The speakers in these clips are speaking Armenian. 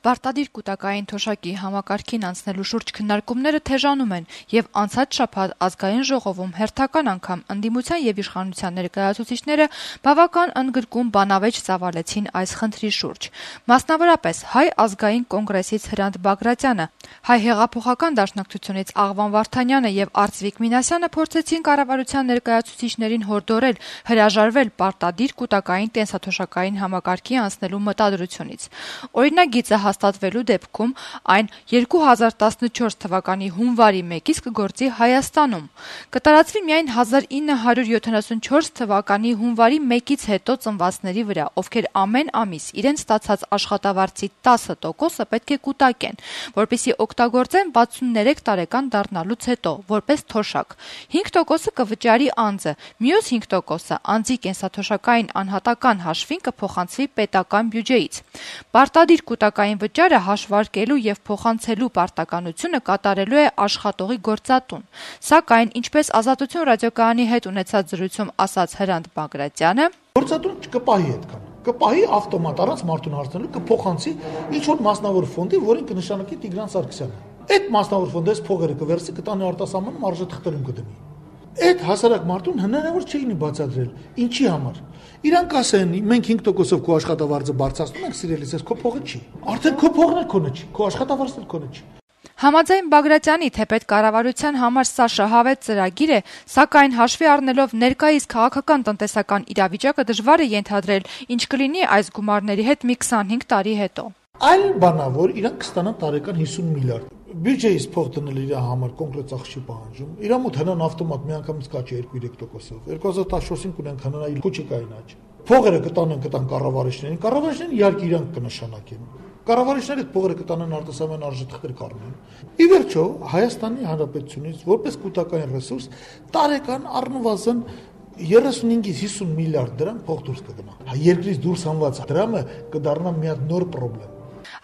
Պարտադիր կൂտակային թոշակի համակարգին անցնելու շուրջ քննարկումները թեժանում են եւ անցած շաբաթ ազգային ժողովում հերթական անգամ ընդդիմության եւ իշխանության ներկայացուցիչները բավական ընդգրկուն բանավեճ ծավալեցին այս խնդրի շուրջ։ Մասնավորապես Հայ ազգային կոնգրեսից Հրանտ Բագրատյանը, Հայ հեղափոխական դաշնակցությունից Աղվան Վարդանյանը եւ Արծվիկ Մինասյանը փորձեցին կառավարության ներկայացուցիչներին հորդորել հրաժարվել պարտադիր կൂտակային կենսաթոշակային համակարգի անցնելու մտադրությունից։ Օրինագիծը հաստատվելու դեպքում այն 2014 թվականի հունվարի 1-ից կգործի Հայաստանում։ Կտարածվի միայն 1974 թվականի հունվարի 1-ից հետո ծնվածների վրա, ովքեր ամեն ամիս իրենց ստացած աշխատավարձի 10%-ը պետք է կուտակեն, որպեսզի օգտագործեն 63 տարեկան դառնալուց հետո, որպես թոշակ։ 5%-ը կվճարի անձը, մյուս 5%-ը անձի կենսաթոշակային անհատական հաշվին կփոխանցվի պետական բյուջեից։ Պարտադիր կൂտակային վճարը հաշվարկելու եւ փոխանցելու պարտականությունը կատարելու է աշխատողի գործատուն։ Սակայն, ինչպես Ազատություն ռադիոկայանի հետ ունեցած զրույցում ասաց Հրանտ Բագրատյանը, գործատուն չկպահի այդքան։ Կպահի ավտոմատ առանց մարդուն հարցնելու կփոխանցի ինչ-որ մասնավոր ֆոնդի, որին կնշանակի Տիգրան Սարգսյանը։ Այդ մասնավոր ֆոնդից փողերը կվերցի, կտանի արտասահմանում արժեթղթերում կդնի։ Այդ հասարակ մարդուն հնարավոր չի լինի բացատրել։ Ինչի համար։ Իրանք ասեն, մենք 5%-ով քո աշխատավարձը բարձրացնում ենք, սիրելիս, ես քո փողը չի։ Արդեն քո փողն էլ քոնը չի, քո աշխատավարձն էլ քոնը չի։ Համաձայն Բագրատյանի, թեպետ կառավարության համար սա շահավետ ծրագիր է, սակայն հաշվի առնելով ներկայիս քաղաքական տնտեսական իրավիճակը դժվար է ենթադրել, ինչ կլինի այս գումարների հետ մի 25 տարի հետո։ Այլ բանա, որ իրանք կստանան տարեկան 50 միլիարդ։ Բյուջեից փող դնել իր համար կոնկրետ ծախս չի պահանջում։ Իրա մոտ հնան ավտոմատ միանգամից կաճի 2-3%-ով։ 2014-ին կունեն հնանալ քուչիկային աճ։ Փողերը կտան կառավարիչներին, կառավարիչներն իհարկե իրանք կնշանակեն։ Կառավարիչները այդ փողերը կտանեն արտասահման արժեթղթեր կառնեն։ Ի վերջո, Հայաստանի Հանրապետությունից որպես կൂട്ടակային ռեսուրս տարեկան առնվազն 35-ից 50 միլիարդ դրամ փող դուրս կգնա։ Երկրից դուրս հանված դրամը կդառնա մի հատ նոր խնդրեմ։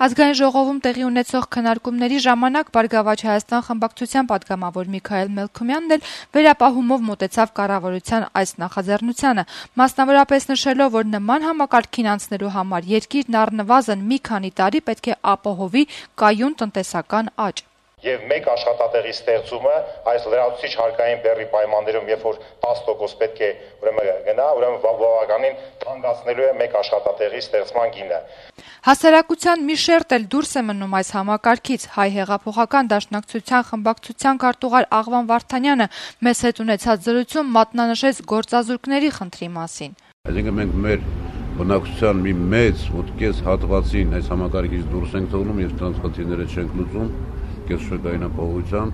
Ազգային ժողովում տեղի ունեցող քննարկումների ժամանակ Բարգավաճ Հայաստան խմբակցության պատգամավոր Միքայել Մելքումյանն էլ վերապահումով մոտեցավ կառավարության այս նախաձեռնությանը, մասնավորապես նշելով, որ նման համակարգին անցնելու համար երկիրն առնվազն մի քանի տարի պետք է ապահովի կայուն տնտեսական աճ։ Եվ մեկ աշխատատեղի ստեղծումը այս լրացուցիչ հարկային բեռի պայմաններում, երբ որ 10% պետք է գնա, բավականին թանկացնելու է մեկ աշխատատեղի ստեղծման գինը։ Հասարակության մի շերտ էլ դուրս է մնում այս համակարգից։ Հայ հեղափոխական դաշնակցության խմբակցության քարտուղար Աղվան Վարդանյանը մեզ հետ ունեցած զրույցում մատնանշեց գործազուրկների խնդրի մասին։ Այսինքն մենք մեր բնակչության մի մեծ մոտքես հատվածին այս համակարգից դուրս ենք թողնում եւ դրանց խնդիրները չենք լուծում կենսաշրջանային ապահովության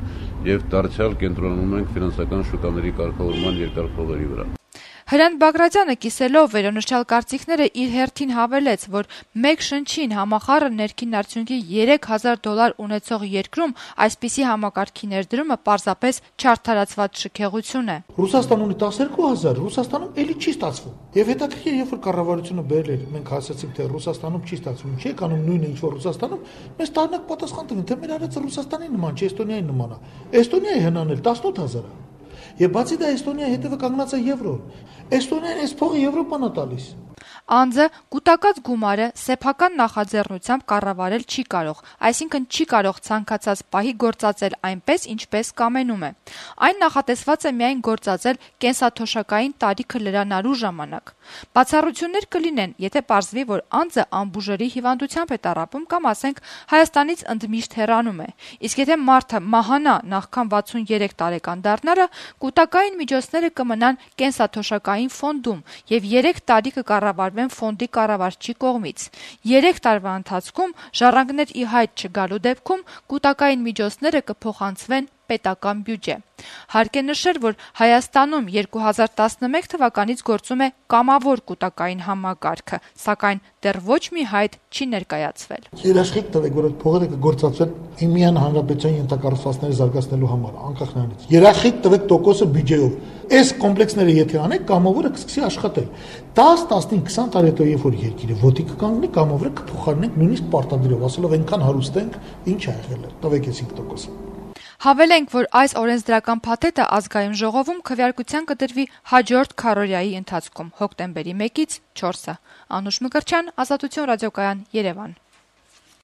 եւ դարձյալ կենտրոնանում ենք ֆինանսական շուկաների կարգավորման երկար փողերի վրա։ Հրանտ Բագրատյանը կիսելով վերոնշյալ կարծիքները իր հերթին հավելեց, որ մեկ շնչին համախառն ներքին արդյունքի $3000 ունեցող երկրում այսպիսի համակարգի ներդրումը պարզապես չարդարացված շքեղություն է։ Ռուսաստան ունի 12000, Ռուսաստանում էլի չի ստացվում։ Եվ հետաքրքիր, երբ որ կառավարությունը բերել էր, մենք ասացինք, թե Ռուսաստանում չի ստացվում, չի եկանում նույնը ինչ որ Ռուսաստանում, մեզ տարնակ պատասխան տվին, թե մեր արածը Ռուսաստանի նման չէ, Էստոնիայի նման է։ Էստոնիայի հնանել 18000 է։ Եվ բացի դա Էստոնիայի հետևը կանգնած է եվրո։ Էստոնիան այս փողը Եվրոպան է տալիս։ Անձը կൂട്ടակած գումարը սեփական նախաձեռնությամբ կառավարել չի կարող, այսինքն չի կարող ցանկացած պահի գործածել այնպես, ինչպես կամենում է։ Այն նախատեսված է միայն գործածել կենսաթոշակային տարիքը լրանալու ժամանակ։ Բացառություններ կլինեն, եթե պարզվի, որ անձը անբուժելի հիվանդությամբ է տառապում կամ ասենք Հայաստանից ընդմիշտ հեռանում է։ Իսկ եթե մարդը մահանա նախքան 63 տարեկան դառնալը, կൂട്ടակային միջոցները կմնան կենսաթոշակային ֆոնդում եւ 3 տարի կկառավարվեն ֆոնդի կառավարչի կողմից։ 3 տարվա ընթացքում ժառանգներ ի հայտ չգալու դեպքում կൂട്ടակային միջոցները կփոխանցվեն պետական բյուջե։ Հարկ է նշել, որ Հայաստանում 2011 թվականից գործում է կամավոր կൂട്ടակային համակարգը, սակայն դեռ ոչ մի հայտ չի ներկայացվել։ Երաշխիք տվեք, որ այդ փողերը կգործածվեն Իմյան Հանրապետության ենթակառուցվածքները զարգացնելու համար, անկախ նրանից։ Երաշխիք տվեք տոկոսը բյուջեով։ Այս կոմպլեքսները եթե անեք, կամավորը կսկսի աշխատել։ 10, 15, 20 տարի հետո երբ որ երկիրը ոտի կկանգնի, կամավորը կփոխարինենք նույնիսկ պարտադրելով, ասելով այնքան հարուստ ենք, ինչ ա եղել է։ Տվեք այս 5%-ը։ Հավելենք, որ այս օրենսդրական փաթեթը ազգային ժողովում քվեարկության կդրվի հաջորդ քառօրյայի ընթացքում հոկտեմբերի 1-ից 4-ը։ Անուշ Մկրտչյան, Ազատություն ռադիոկայան, Երևան։